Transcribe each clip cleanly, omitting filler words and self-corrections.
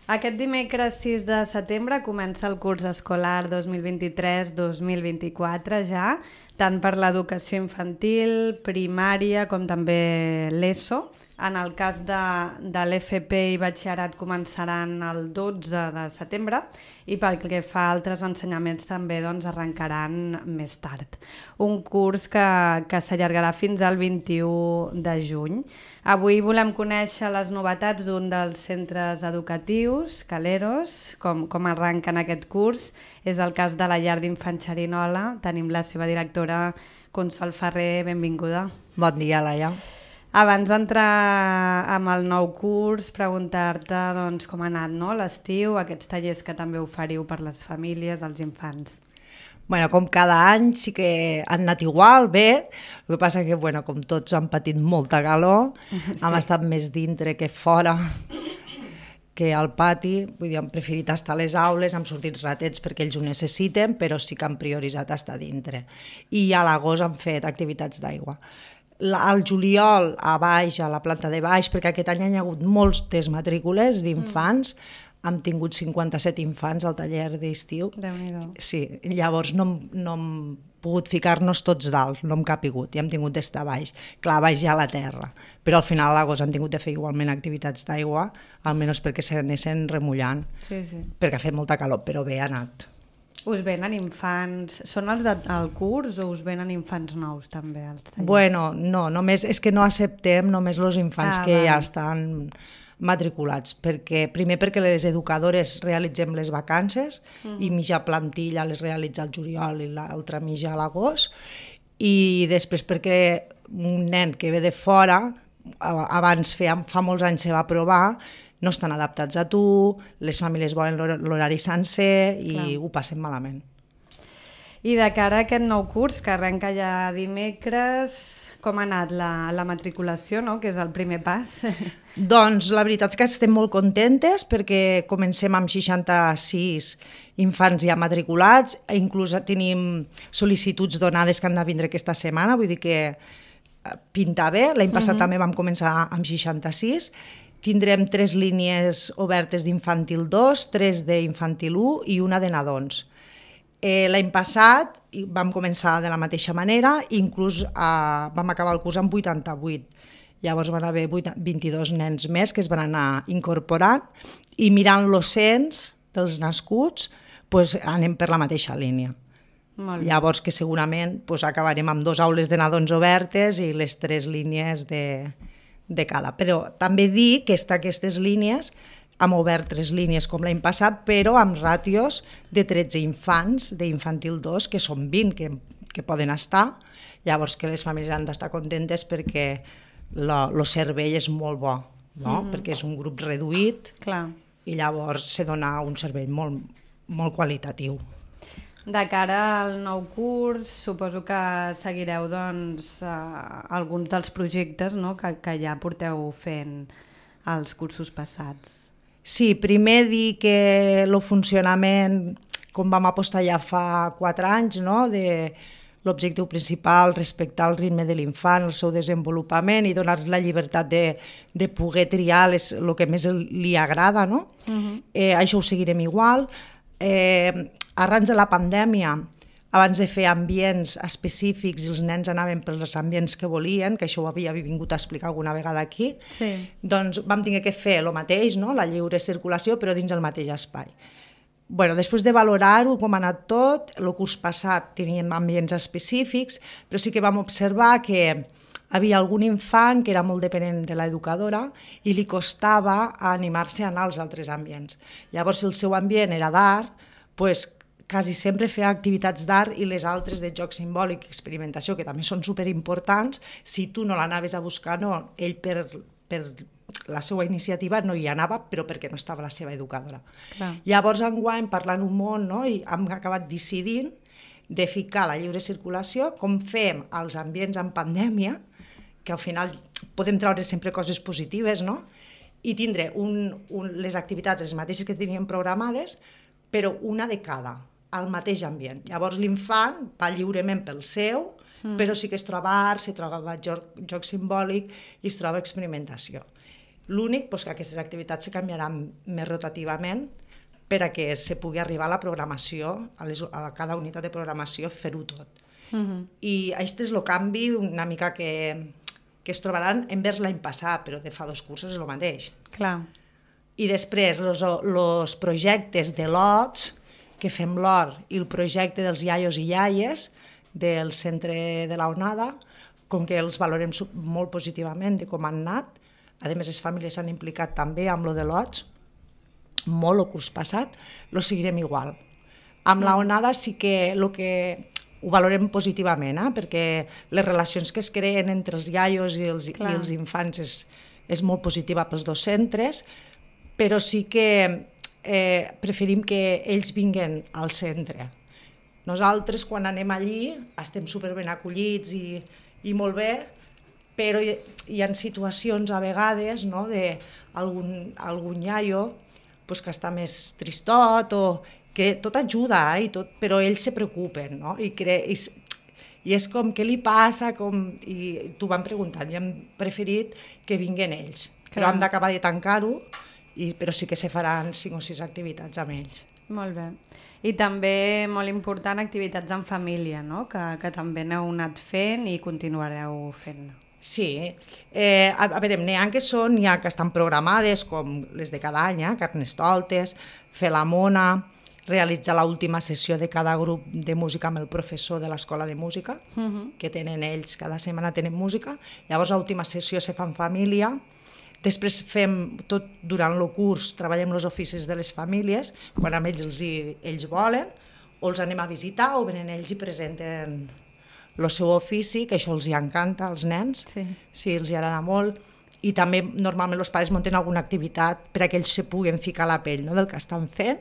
Aquest dimecres 6 de setembre comença el curs escolar 2023-2024 ja, tant per l'educació infantil, primària com també l'ESO. En el cas de l'FP i batxillerat començaran el 12 de setembre i pel que fa a altres ensenyaments també arrencaran més tard. Un curs que s'allargarà fins al 21 de juny. Avui volem conèixer les novetats d'un dels centres educatius, Caleros, com arrenquen aquest curs. És el cas de la llar d'infants Xerinola. Tenim la seva directora, Consol Ferrer, benvinguda. Bon dia, Laia. Abans d'entrar amb el nou curs, preguntar-te com ha anat l'estiu, aquests tallers que també oferiu per les famílies, als infants. Bueno, com cada any sí que han anat igual, bé, el que passa que com tots han patit molta calor, hem estat més dintre que fora, que al pati, vull dir, hem preferit estar a les aules, hem sortit ratets perquè ells ho necessiten, però sí que han prioritzat estar dintre. I a l'agost han fet activitats d'aigua. Al juliol, a baix, a la planta de baix, perquè aquest any hi ha hagut moltes matrícules d'infants, hem tingut 57 infants al taller d'estiu. Déu-n'hi-do. Sí, llavors no hem pogut ficar-nos tots dalt, no hem capigut, i hem tingut d'estar a baix. Clar, a baix hi ha la terra, però al final a l'agost han tingut de fer igualment activitats d'aigua, almenys perquè s'anessin remullant, Sí. perquè ha fet molta calor, però bé ha anat. Us venen infants... Són els del curs o us venen infants nous també als tallers? Bueno, no, només és que no acceptem només els infants que ja estan matriculats, perquè les educadores realitzem les vacances i mitja plantilla les realitza al juliol i l'altra mitja a l'agost, i després perquè un nen que ve de fora, abans fa molts anys se va provar, no estan adaptats a tu, les famílies volen l'horari sencer i ho passem malament. I de cara a aquest nou curs, que arrenca ja dimecres, com ha anat la matriculació, no? Que és el primer pas? Doncs la veritat és que estem molt contentes perquè comencem amb 66 infants ja matriculats, inclús tenim sol·licituds donades que han de vindre aquesta setmana, vull dir que pinta bé. L'any passat també vam començar amb 66. Tindrem 3 línies obertes d'infantil 2, 3 d'infantil 1 i una de nadons. L'any passat vam començar de la mateixa manera, inclús vam acabar el curs amb 88. Llavors van haver 22 nens més que es van anar incorporant i mirant el cens dels nascuts anem per la mateixa línia. Llavors que segurament acabarem amb 2 aules de nadons obertes i les 3 línies de cada. Però també dir que aquestes línies hem obert 3 línies com l'any passat, però amb ràtios de 13 infants d'infantil 2, que són 20 que poden estar. Llavors que les famílies han d'estar contentes perquè el servei és molt bo, no? Perquè és un grup reduït. Clar. I llavors se dona un servei molt, molt qualitatiu. De cara al nou curs, suposo que seguireu alguns dels projectes, no? que ja porteu fent els cursos passats. Sí, primer dir que el funcionament, com vam apostar ja fa 4 anys, no? De l'objectiu principal, respectar el ritme de l'infant, el seu desenvolupament i donar la llibertat de poder triar el que més li agrada, no? Això ho seguirem igual. Arran de la pandèmia, abans de fer ambients específics i els nens anaven pels ambients que volien, que això ho havia vingut a explicar alguna vegada aquí, doncs vam haver de fer el mateix, no? La lliure circulació, però dins el mateix espai. Després de valorar-ho, com ha anat tot, el curs passat teníem ambients específics, però sí que vam observar que havia algun infant que era molt dependent de l'educadora i li costava animar-se a anar als altres ambients. Llavors, si el seu ambient era d'art, quasi sempre feia activitats d'art i les altres de joc simbòlic i experimentació, que també són superimportants, si tu no l'anaves a buscar, no, ell per la seva iniciativa no hi anava, però perquè no estava la seva educadora. Clar. Llavors, enguany, parlant un món, no, i hem acabat decidint de ficar la lliure circulació, com fem als ambients en pandèmia, que al final podem treure sempre coses positives, no? I tindre les activitats les mateixes que teníem programades, però una de cada, al mateix ambient. Llavors l'infant va lliurement pel seu, però sí que es troba art, se troba joc simbòlic i es troba experimentació. L'únic que aquestes activitats se canviaran més rotativament per a que se pugui arribar a la programació, a cada unitat de programació, fer-ho tot. I aquest és el canvi una mica que es trobaran envers l'any passat, però de fa 2 cursos és el mateix. Clar. I després, els projectes de lots, que fem l'hort, i el projecte dels iaios i iaies del centre de la Onada, com que els valorem molt positivament de com han anat, a més les famílies s'han implicat també amb lo de lots, molt el curs passat, lo seguirem igual. Amb la Onada sí que ho valorem positivament, perquè les relacions que es creen entre els iaios i els infants és molt positiva pels 2 centres, però sí que preferim que ells vinguen al centre. Nosaltres, quan anem allí, estem superben acollits i molt bé, però hi ha situacions a vegades d'algun iaio que està més tristot o que tot ajuda, però ells se preocupen, no? I és com, què li passa? I t'ho van preguntant, i hem preferit que vinguen ells. Però hem d'acabar de tancar-ho, però sí que se faran 5 o 6 activitats amb ells. Molt bé. I també, molt important, activitats en família, no? Que també n'heu anat fent i continuareu fent. Sí, a veure, n'hi ha que estan programades, com les de cada any, Carnestoltes, fer la mona, realitzar l'última sessió de cada grup de música amb el professor de l'escola de música, que tenen ells, cada setmana tenen música, llavors l'última sessió se fa en família, després fem tot durant el curs, treballem els oficis de les famílies, quan amb ells volen, o els anem a visitar o venen ells i presenten el seu ofici, que això els encanta als nens, sí, els agrada molt, i també normalment els pares munten alguna activitat per a que ells se puguen ficar a la pell del que estan fent,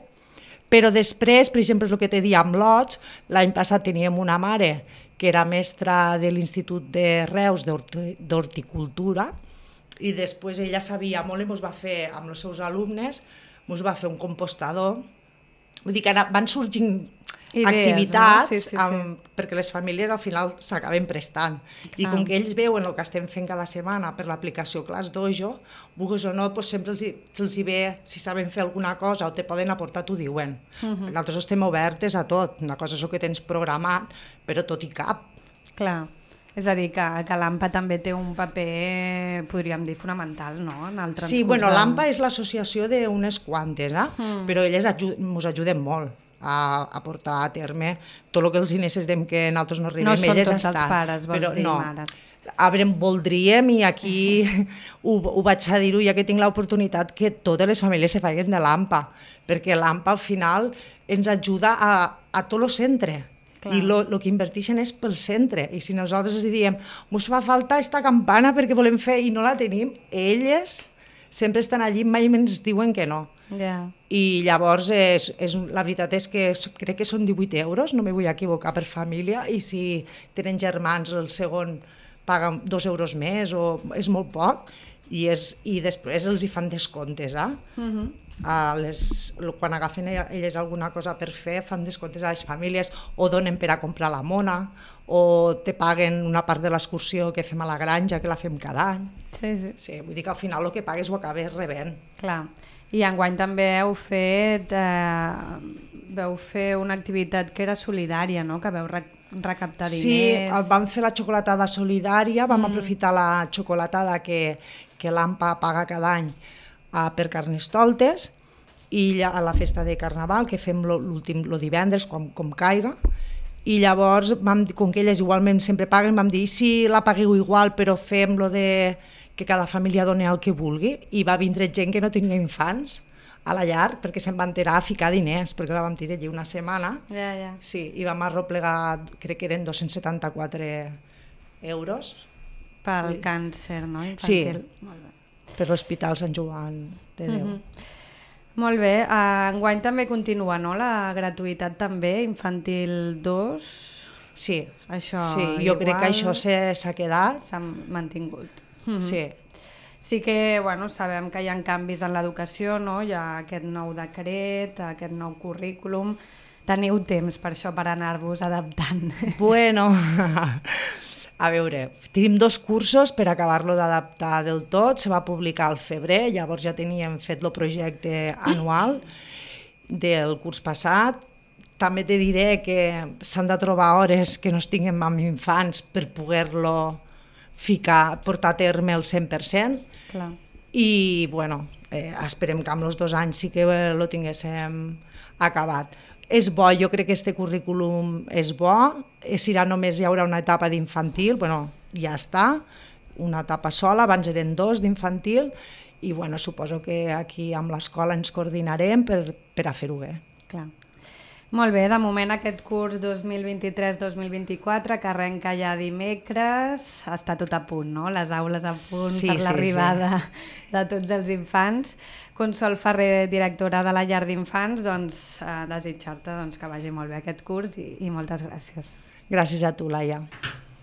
però després, per exemple, és el que t'he dit amb lots, l'any passat teníem una mare que era mestra de l'Institut de Reus d'Horticultura, i després ella sabia molt i ens va fer, amb els seus alumnes, ens va fer un compostador, vull dir que van sorgint activitats, no? Sí. Perquè les famílies al final s'acaben prestant. I com que ells veuen el que estem fent cada setmana per l'aplicació Class Dojo, vulguis o no, sempre els hi ve, si saben fer alguna cosa o te poden aportar, t'ho diuen. Nosaltres estem obertes a tot, una cosa és el que tens programat, però tot i cap. Clar. És a dir, que l'AMPA també té un paper, podríem dir, fonamental, no? En el transcurs. Sí, bueno, l'AMPA és l'associació d'unes quantes, però elles ens ajuden molt a portar a terme tot el que els necessitem que nosaltres no arribem, elles estan. No són tots els pares, vols dir, mares. A veure, voldríem, i aquí ho vaig a dir-ho, ja que tinc l'oportunitat, que totes les famílies se facin de l'AMPA, perquè l'AMPA al final ens ajuda a tot el centre. I el que inverteixen és pel centre, i si nosaltres els diem ens fa falta aquesta campana perquè volem fer i no la tenim, elles sempre estan allí, mai ens diuen que no. I llavors la veritat és que crec que són 18 euros, no me vull equivocar, per família, i si tenen germans el segon paguen 2 euros més, o és molt poc, i després els hi fan descomptes, quan agafen elles alguna cosa per fer, fan descomptes a les famílies, o donen per a comprar la mona, o te paguen una part de l'excursió que fem a la granja, que la fem cada any. Sí, vull dir que al final el que pagues ho acabes rebent. Clar. I enguany també veu fer una activitat que era solidària, no? Que veu recaptar diners. Sí, vam fer la xocolatada solidària, vam aprofitar la xocolatada que l'AMPA paga cada any per Carnestoltes, i a la festa de Carnaval, que fem el divendres, com caiga, i llavors, com que elles igualment sempre paguen, vam dir, si la pagueu igual, però fem lo de que cada família doni el que vulgui, i va vindre gent que no tenia infants a la llar, perquè se'n va enterar a ficar diners, perquè la vam tenir allí una setmana, sí, i vam arroplegar, crec que eren 274 euros. Pel càncer, no? Infantil. Sí, per l'Hospital Sant Joan de Déu. Molt bé, enguany també continua, no? La gratuïtat també, infantil 2. Sí, això jo crec que això s'ha quedat. S'ha mantingut. Sí. Sí que sabem que hi ha canvis en l'educació, no? Hi ha aquest nou decret, aquest nou currículum. Teniu temps per això, per anar-vos adaptant? Bueno, A veure, tenim 2 cursos per acabar-lo d'adaptar del tot, se va publicar al febrer, llavors ja teníem fet el projecte anual del curs passat. També te diré que s'han de trobar hores que no estiguem amb infants per poder-lo portar a terme el 100%. Clar. I bueno, esperem que amb els 2 anys sí que lo tinguéssim acabat. És bo, jo crec que este currículum és bo, només hi haurà una etapa d'infantil, bueno, ja està, una etapa sola, abans eren 2 d'infantil, i bueno, suposo que aquí amb l'escola ens coordinarem per a fer-ho bé. Clar. Molt bé, de moment aquest curs 2023-2024 que arrenca ja dimecres, està tot a punt, no? Les aules a punt per l'arribada de tots els infants. Consol Ferrer, directora de la llar d'infants, doncs desitjar-te que vagi molt bé aquest curs i moltes gràcies. Gràcies a tu, Laia.